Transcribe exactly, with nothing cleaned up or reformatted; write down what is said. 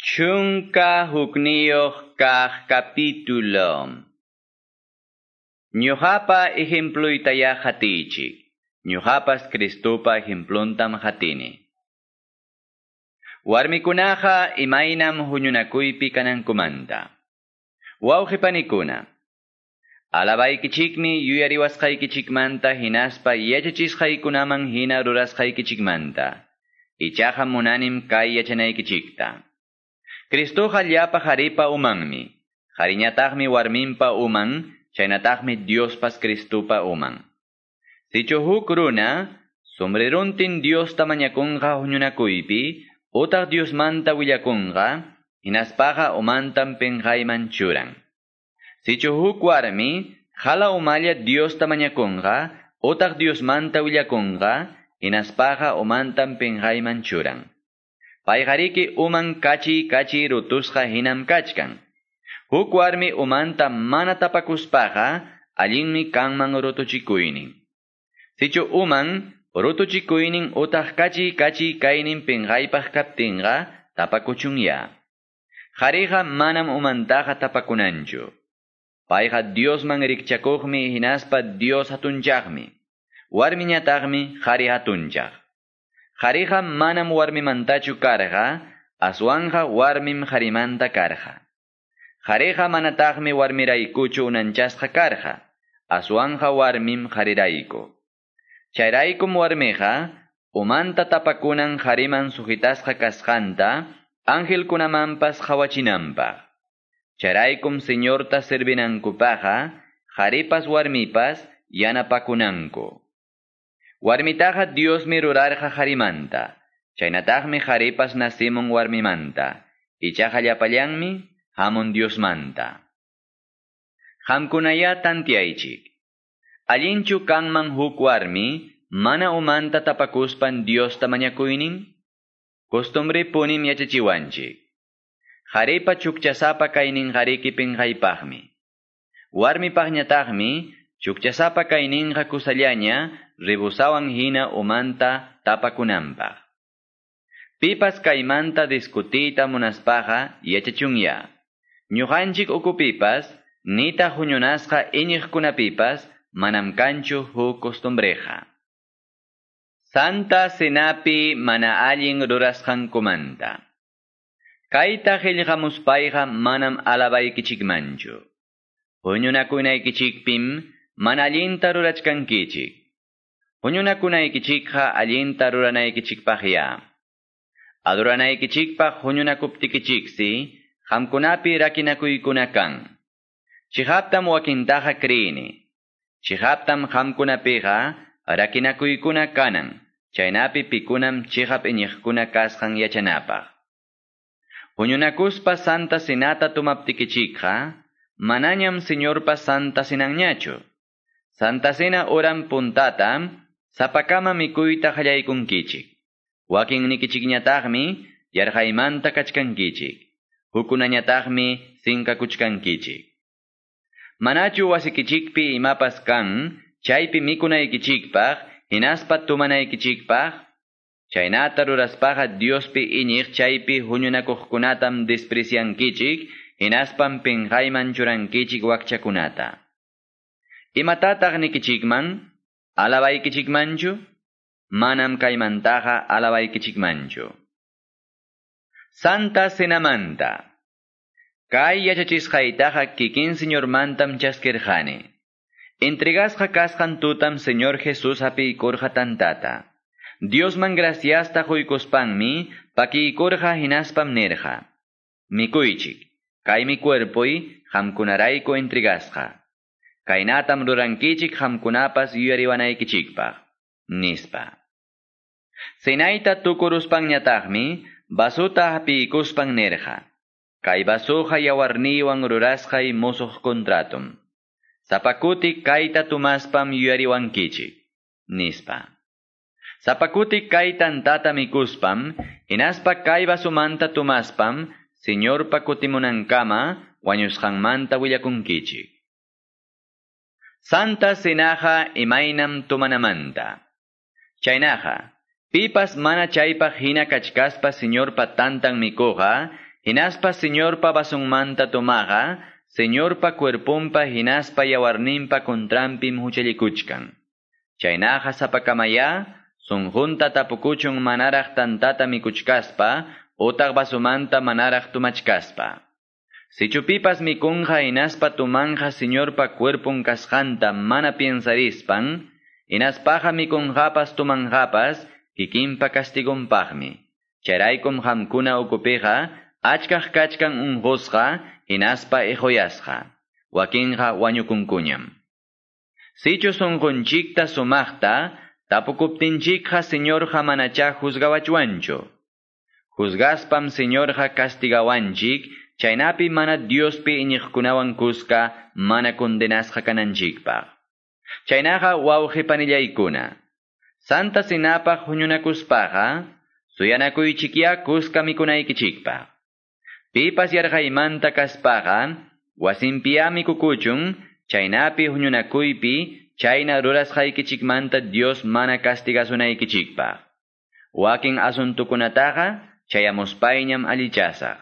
Chunka hukniyuq kaq capítulo. Ñuqapa ejempluytaya qatiychik. Ñuqapas Cristopa ejempluntam qatini. Warmikunaqa imaynam huñunakuypi kanankumanta. Wawqipanikuna, alabaykichikmi yuyariwasqaykichikmanta hinaspa yachachisqaykunaman hina rurasqaykichikmanta. Ichaqa munanim kay yachanaykichikta. Cristoqa llapa qharipa umanmi. Qhariñataqmi warminpa uman, chaynataqmi Diospas Cristopa uman. Sichu huk runa, sombreruntin Diosta mañakunqa huñunakuypi, utaq Diosmanta willakunqa, hinaspaqa umantam pinqayman churan. Sichu huk warmi, hala umalla Diosta mañakunqa, utaq Diosmanta willakunqa, hinaspaqa umantam pinqayman churan. Payqariki uman kachi kachi rutusqa hinam kachkan. Huk warmi umanta mana tapakuspaqa, allinmi kanman rutuchikuynin. Sichu uman rutuchikuynin utaq kachi kachi kaynin pinqaypaq kaptinqa, tapakuchunya. Qhariqa manam umantaqa tapakunanchu. Payqa Diosman rikchakuqmi hinaspa Dios hatunchaqmi. Warmiñataqmi qhari hatunchaq. Qhariqa manam warmimantachu karqa, aswanqa warmim qharimanta karqa. Qhariqa manataqmi warmiraykuchu unanchasqa karqa, aswanqa warmim qharirayku. Chayraykum warmiqa, umanta tapakunan qhariman sujitasqa kasqanta, angelkunamanpas qhawachinanpaq. Chayraykum Señorta servinankupaqqa, qharipas warmipas yanapakunanku. Warmitaqa Diosmi rurarqa qharimanta, chaynataqmi qharipas nacimun warmimanta, ichaqa llapallanmi hamun Diosmanta. Qamkunaya tantiaychik. Allinchu kanman huk warmi, mana umanta tapakuspan Diosta mañakuynin? Costumbre punim yachachiwanchik. Qharipa chukchasapa kaynin qariki pinqaypaqmi. Warmipaqñataqmi chukchasapa kayninqa kusallaña ribusawan hina umanta tapakunanpaq. Pipas kaymanta discutiyta munaspaqa yachachunya. Ñuqanchik ukupipas, nitaq huñunasqa iñiqkunapipas, manam kanchu huk costumbreja. Santa Cenapi mana allin rurasqankumanta. Kayta qillqamuspayqa manam alabaykichikmanchu. Huñunakunaykichikpim mana allinta rurachkankichik. Huñunakunaykichikqa allinta ruranaykichikpaqya. Adoranaykichikpaq huñunakuptikichiksi, qamkunapi rakinakuykuna kan. Chiqaptam wakintaqa kriyini. Chiqaptam qamkunapiqa rakinakuykuna kanan, chaynapi pikunam chiqap iñiqkuna kasqan yachanapaq. Huñunakuspa Santa Cenata tumaptikichikqa, manañam Señorpa Santa Cenanñachu. Santa Cena oran puntata, sapakama mikuyta qallaykunkichik. Wakinnikichikñataqmi yarqaymanta kachkankichik. Hukkunañataqmi sinkakuchkankichik. Manachu wasikichikpi imapas kan, chaypi mikunaykichikpaq, hinaspa tumanaykichikpaq, chaynata ruraspaqa Diospi iñiq chaypi huñunakuqkunatam despreciankichik, hinaspam pinqayman churankichik wakchakunata. Imatataq nikichikman? Alabaykichikmanchu? Manam kaymantaqa alabaykichikmanchu. Santa Cenamanta. Kay yachachisqaytaqa kikin Señormantam chaskirqani. Entregasqa kasqan tutam Señor Jesús hapiykurqa tantata. Diosman graciasta quykuspanmi pakiykurqa hinaspam nirqa. Mikuychik, kaymi cuerpoy qamkunarayku entregasqa. Kaynatam rurankichik qamkunapas yuyariwanaykichikpaq, nispa. Cenayta tukuruspanñataqmi vasuta hapiykuspan nirqa. Kay vasuqa yawarniywan rurasqay musuq contratum. Sapakuti kayta tumaspam yuyariwankichik, nispa. Sapakuti kay tantata mikuspam, hinaspa kay vasumanta tumaspam, Señorpa kutimunankama wañusqanmanta willakunkichik. Santa Cenaqa imaynam tumanamanta. Chaynaqa, pipas mana chaypaq hina kachkaspa Señorpa tantan mikuqa, Hinaspa Señorpa vasonmanta tomaqa, Señorpa cuerponpa hinaspa yawarninpa contranpim huchallikuchkan. Chaynaqa sapakamaya, sunqunta tapukuchun manaraq tantata mikuchkaspa, utaq vasomanta manaraq tumachkaspa. Sichu pipas mikunqa hinaspa tumanqa Señorpa cuerpon kasqanta mana piensarispan, hinaspaqa mikunqapas tumanqapas kikinpa castigonpaqmi. Chayraykum qamkuna ukupiqa achkaq kachkan unqusqa hinaspa iquyasqa. Wakinqa wañukunkuñam. Sichu sunqunchikta sumaqta tapukuptinchikqa Señorqa manacha juzgawachwanchu. Juzgaspam Señorqa castigawanchik, chaynapi mana Diospi iñiqkunawan kuska mana condenasqa kananchikpaq. Chaynaqa wawqi panillaykuna. Santa Cenapaq huñunakuspaqa, suyanakuychikya kuska mikunaykichikpaq. Pipas yarqaymanta kaspaqa, wasinpiya mikukuchun, chaynapi huñunakuypi, chayna rurasqaykichikmanta Dios mana castigasunaykichikpaq. Wakin asuntukunataqa chayamuspayñam allichasaq.